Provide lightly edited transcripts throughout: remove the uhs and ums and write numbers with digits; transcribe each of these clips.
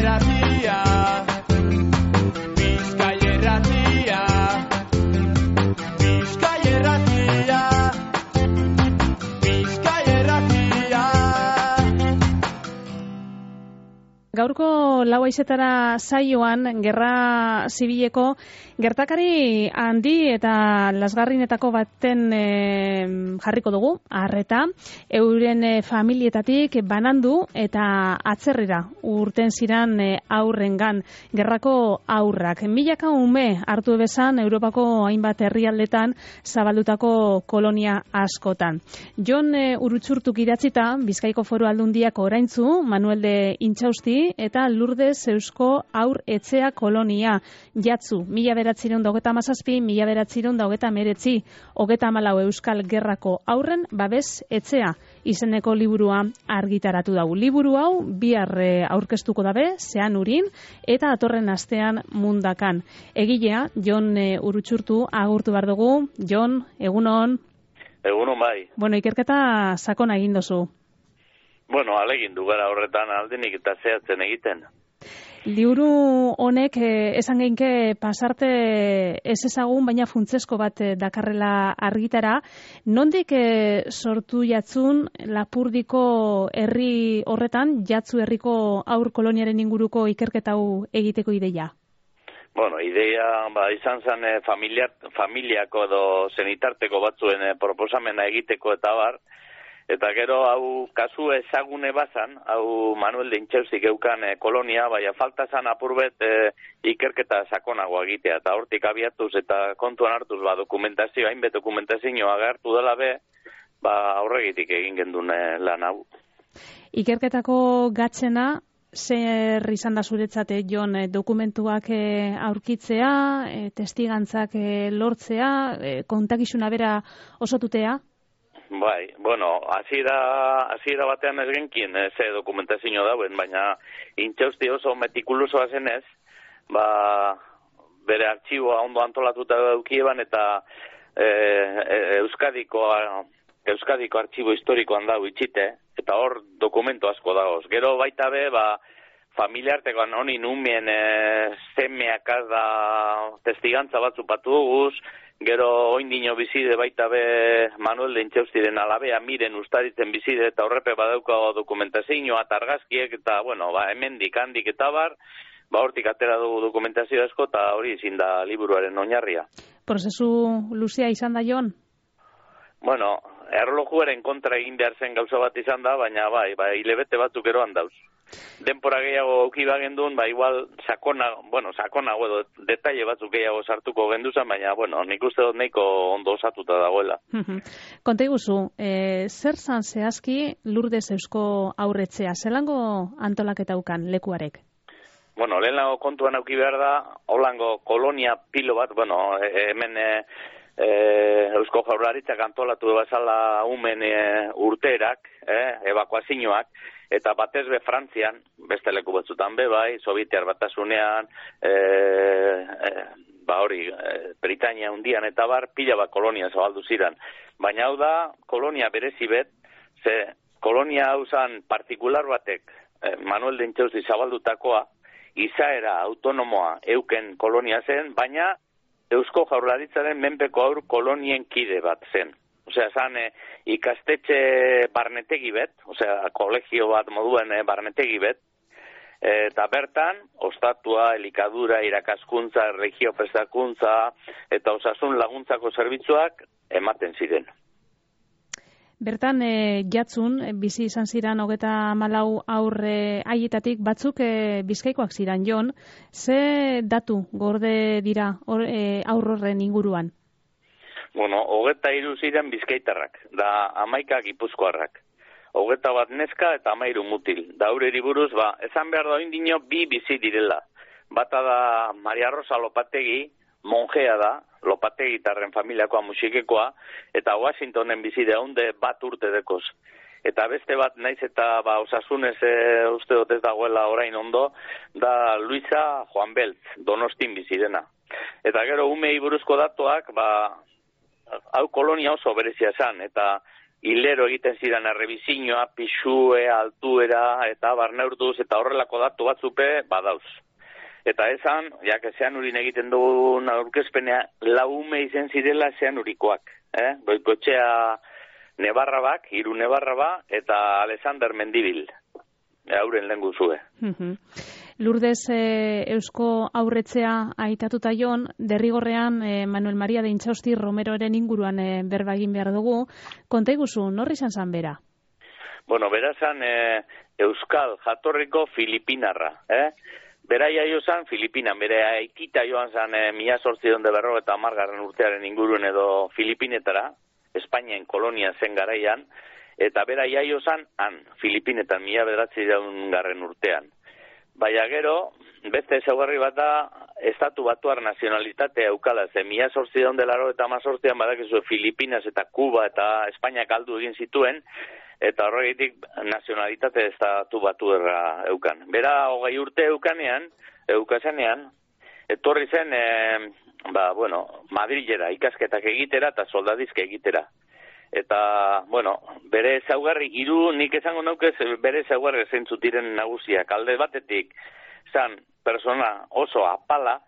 Irratia, Bizkai Irratia, Bizkai Irratia, Bizkai Irratia. Gaurko lau haizetara saioan gerra zibileko gertakari handi eta lasgarrinetako baten jarriko dugu, arreta, euren familietatik banandu eta atzerrira urten ziran aurrengan gerrako aurrak. Milaka ume hartu bezan Europako hainbat herrialdetan zabaldutako kolonia askotan. Jon Urutxurtuk idatzita, Bizkaiko Foru Aldundiak oraintzu, Manuel de Intxausti eta Lourdes Eusko Aur Etxea kolonia jatzu, 1927, 1929, 34 Euskal Gerrako aurren babes etxea izeneko liburua argitaratu dugu. Liburu hau bihar aurkeztuko dabe, zean urin, eta atorren astean mundakan. Egilea, Jon Urutxurtu agurtu behar dugu. Jon, egunon. Egunon bai. Bueno, ikerketa sakona egin dozu. Bueno, alegin du gara horretan aldenik eta zehatzen egiten. Liburu honek esan geinke pasarte ez ezagun, baina funtzesko bat dakarrela argitara. Nondik sortu jatzun Lapurdiko herri horretan, jatzu herriko aur koloniaren inguruko ikerketa hau egiteko ideia? Bueno, ideia izan zen familiako edo zenitarteko batzuen proposamena egiteko eta bar. Eta gero hau kasu ezagune bazan, hau Manuel de Intxaustik eukan kolonia, baina falta zan apurbet ikerketa sakonagoa egitea. Eta hortik abiatuz eta kontuan hartuz dokumentazio, hainbet dokumentazio agertu dela be, aurregitik egin gendun lan hau. Ikerketako gatzena, zer izan da zuretzate, Jon, dokumentuak aurkitzea, testigantzak lortzea, kontakizuna bera osotutea? Bai, bueno, hasiera batean ez genkien ze dokumentazio dauen, baina Intxausti oso metikulusoa zenez, bere artxiboa ondo antolatuta daukieban eta Euskadiko artxibo historikoan dago itxite, eta hor dokumento asko dagoz. Gero baita be, familiartekoan honi numien zemeakaz da testigantza batzu patu duguz. Gero oindino bizide baita be Manuel de Intxaustiren alabea miren ustaritzen bizide eta horrepe badauka dokumentazioa eta argazkiek eta, bueno, hemendik handik eta bar, hortik atera dugu dokumentazio asko eta hori izin da liburuaren oinarria. Prozesu luzea izan da, Jon? Bueno, erlojuaren kontra egin behar zen gauza bat izan da, baina hilebete batzuk eroan dauz. Denpora gehiago aukiba gendun, igual sakonago edo detaile batzuk gehiago sartuko genduzan, baina, nik uste dut nahiko ondo osatuta dagoela. Konta iguzu, zer zan zehazki Lourdes Eusko aurretzea? Zelango antolaketa ukan lekuarek? Bueno, lehenago kontuan auki behar da, holango kolonia pilo bat, hemen Eusko Jaurlaritzak antolatu bezala umen urterak, ebakuazioak, eta batez be Frantzian, beste leku batzutan be, Sovietiar Batasunean, Britania hundian eta bar, pila bat kolonia zabaldu ziren. Baina hau da, kolonia berezi bet, ze kolonia hau zan partikular batek, Manuel de Intxausti zabaldutakoa, izaera autonomoa euken kolonia zen, baina Eusko Jaurlaritzaren menpeko aur kolonien kide bat zen. Osea, zan ikastetxe barnetegi bet, kolegio bat moduen barnetegi bet, eta bertan, ostatua, elikadura, irakaskuntza, erregio prestakuntza, eta osasun laguntzako zerbitzuak ematen ziren. Bertan, jatzun, bizi izan ziren 34 aurre haietatik batzuk Bizkaikoak ziren, Jon, ze datu gorde dira aurrorren inguruan? Bueno, 23 ziren bizkaitarrak, da 11 gipuzkoarrak. 21 neska eta 13 mutil. Da aurreri buruz, esan behar da oindino bi bizi direla. Bata da Maria Rosa Lopategi, monjea da, Lopategitarren familiakoa musikekoa, eta Washingtonen bizi da hunde bat urte dekoz. Eta beste bat naiz eta osasunez uste dut ez dagoela orain ondo, da Luisa Juan Beltz, Donostin bizi dena. Eta gero umei buruzko datuak, hau kolonia oso berezia esan, eta hilero egiten ziren errebizioa, pixue, altuera, eta barneurtuz, eta horrelako datu batzupe badauz. Eta esan, zean urin egiten dugun aurkezpenea, laume izen zirela zean urikoak. Goikotxea Nebarrabak, Hiru Nebarraba, eta Alexander Mendibil. Hauren lehen guzue. Lourdes Eusko aurretzea aitatuta jon, derrigorrean Manuel Maria de Intxausti Romeroren inguruan berba egin behar dugu. Konta iguzu, norri izan zan bera? Bueno, bera zan Euskal jatorriko Filipinarra. Bera jaio zan Filipinan, bere aikita joan zan 1850 urtearen inguruen edo Filipinetara, Espainian kolonia zen garaian, eta bera jaio zan Filipinetan 1900 urtean. Baina gero, beste ezaugarri bat da, estatu batuar nazionalitatea eukala, ze 1818an badakizu Filipinas eta Kuba eta Espainiak aldu egin zituen, eta horregitik nazionalitate estatu batuerra eukan. Bera 20 urte eukazenean, etorri zen, Madrilera ikasketak egitera eta soldadizke egitera. Eta, bere ezaugarri, nik esango naukez, bere ezaugarri zeintzuk diren nagusiak. Alde batetik, zan, persona oso apala,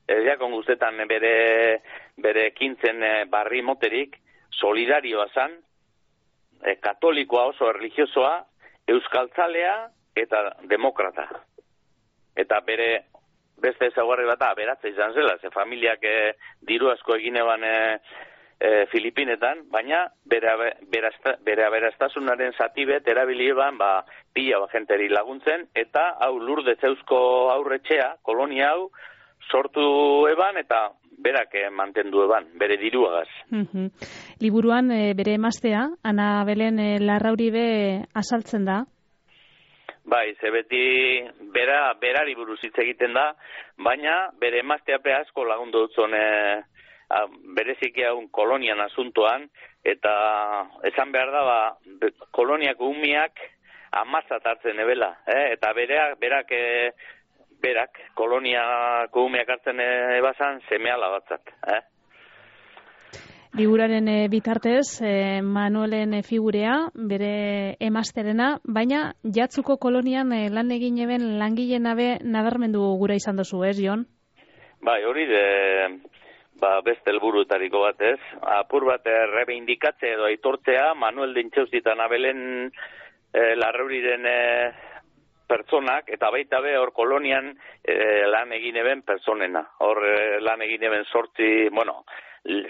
jakon guztetan bere ekintzen barri moterik, solidarioa zan, katolikoa oso erlijiosoa, euskaltzalea eta demokrata. Eta bere beste ezaugarri bat aberatza izan zela, ze familiak diru asko egin eban Filipinetan, baina bere aberastazunaren zati bet erabili eban pila jenteri laguntzen, eta hau Lourdes Eusko aurretxea, kolonia hau, sortu eban eta berak mantendu eban, bere diruagaz. Liburuan bere emaztea, Ana Belen Larrauribe azaltzen da? Bai, ze beti berari buruz hitz egiten da, baina bere emazteape asko lagundu dutzen bereziki haun kolonian asuntoan, eta esan behar da, koloniako umiak amazat hartzen ebela, eta berak koloniako umiak hartzen ebazan semeala batzat. Liburaren bitartez, Manuelen figurea, bere emazterena, baina jatzuko kolonian lan egin eben langileen abe nabarmendu gura izan dozu, ez, Jon? Bai, hori beste helburuetariko bat, ez? Apur bat errebeindikatze edo aitortzea Manuel de Intxausti eta Ana Belen Larrauriren pertsonak, eta baita be hor kolonian lan egin eben personena. Hor lan egin eben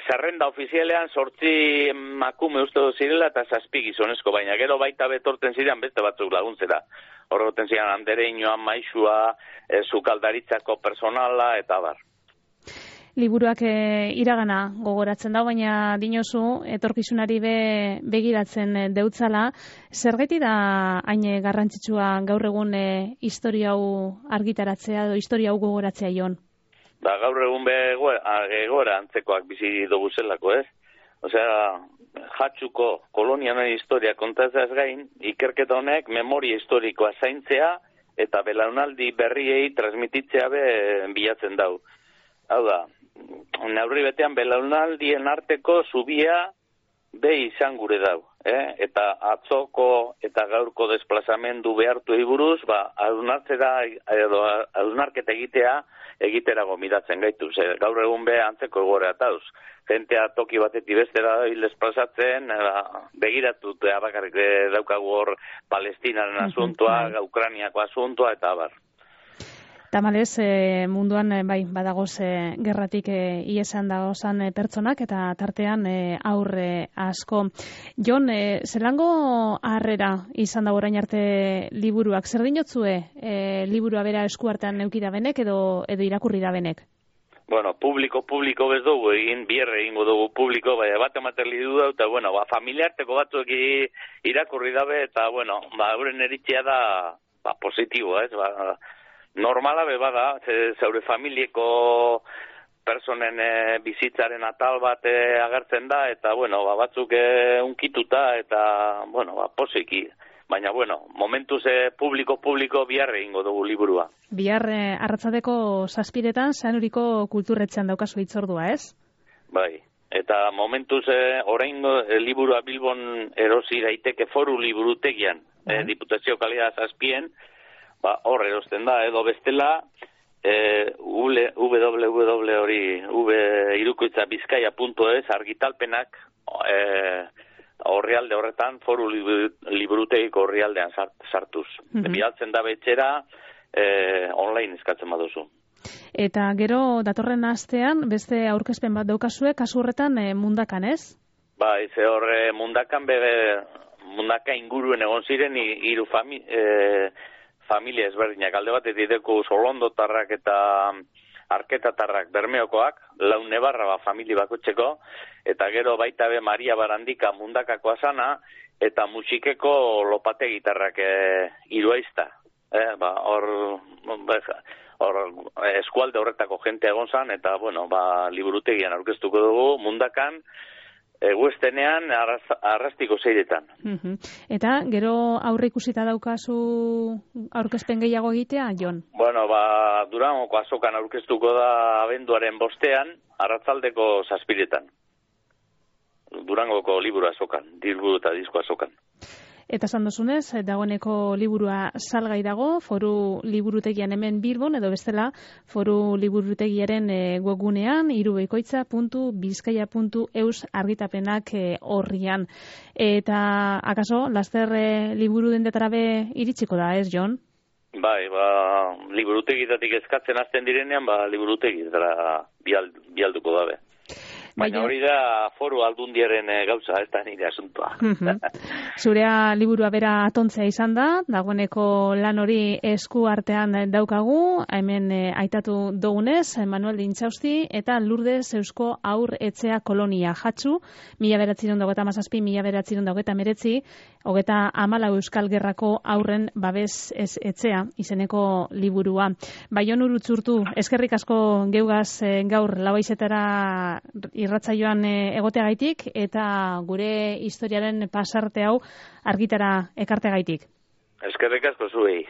zerrenda ofizialean 8 emakume uste zirela eta 7 gizonezko, baina gero baita betorten ziren beste batzuk laguntzera. Hor goten ziren Andereñoa, Maixua, sukaldaritzako personala eta bar. Liburuak iragana gogoratzen da, baina dinozu etorkizunari begiratzen deutzala. Zergatik da hain garrantzitsua gaur egun historia hau argitaratzea edo historia hau gogoratzea, Jon? Gaur egun egoera antzekoak bizi dugu zelako, ez? Osea, jatxuko kolonianen historia kontatzaz gain, ikerketa honek memoria historikoa zaintzea eta belaunaldi berriei transmititzea bilatzen dau. Hau da, neurri betean belaunaldien arteko zubia izan gure dau. Eta atzoko eta gaurko desplazamendu behartu buruz, hausnarketa egiterago miratzen gaitu. Gaur egun antzeko egoera tauz. Jentea toki batetik bestera desplazatzen, begiratu bakarrik daukagu hor Palestinaren asuntoa, Ukrainiako asuntoa eta abar. Tamalez, munduan badagoz gerratik iesan dagozan pertsonak eta tartean aurre asko. Jon, zelango harrera izan da orain arte liburuak? Zer dinotzue liburua bera eskuartean eukida benek edo irakurri da benek? Bueno, publiko bez dugu bierre egingo dugu publiko, bat ematen lidu da, eta familiarteko batzuk irakurri dabe, eta euren eritzea da positiboa, ez, normala bada, zeure familieko personen bizitzaren atal bat agertzen da, eta batzuk unkituta, eta posiki. Baina, momentuz publiko bihar egingo dugu liburua. Bihar arratzadeko 7:00 Zeanuriko kulturretxean daukazu hitzordua, ez? Bai, Eta momentuz orain liburua Bilbon erosi daiteke Foru Liburutegian, Diputazio kalea zazpien, hor erosten da, edo bestela, www.irukoitzabizkaia.es argitalpenak orrialde horretan, Foru Liburutegiko orrialdean sartuz. Bidaltzen da betxera, online eskatzen baduzu. Eta gero datorren astean beste aurkezpen bat daukazue, kasu horretan Mundakan, ez? Bai, ze hor Mundakan Mundaka inguruen egon ziren hiru familia ezberdinak. Alde batetik deku Solondotarrak eta Arketatarrak Bermeokoak, Launebarra familia bakotxeko, eta gero baita be Maria Barandika Mundakakoa sana, eta Musikeko Lopategitarrak hiruaizta. Hor eskualde horretako jente egon zan, eta, liburutegian aurkeztuko dugu, Mundakan, eguestenean arrastiko zeiretan. Eta, gero aurre ikusita daukazu aurkezpen gehiago egitea, Jon? Durangoko azokan aurkeztuko da abenduaren 5ean, arratzaldeko 7etan. Durangoko liburu azokan, liburu eta disko azokan. Eta sandozunez, dagoeneko liburua salgai dago, Foru Liburutegian hemen Bilbon, edo bestela Foru Liburutegiaren webgunean, irubekoitza.bizkaia.eus argitapenak horrian. Eta, akaso, laster liburu dendetara be iritsiko da, ez, Jon? Bai, liburutegitatik eskatzen hasten direnean, liburutegitara bialduko dabe. Baina hori da Foru Aldundiaren gauza, ez da nire asuntoa. Zurea liburua bera atontzea izan da, dagoeneko lan hori esku artean daukagu, hemen aitatu dugunez, Manuel de Intxausti eta Lourdes Eusko Aur Etxea Kolonia Jatzu, 1917-1919, 34 Euskal Gerrako aurren babes etxea izeneko liburua. Baion Urutzurtu, eskerrik asko geugaz gaur Lauaizetara irratsaioan egoteagaitik eta gure historiaren pasarte hau argitara ekarteagaitik. Eskerrik asko zuei.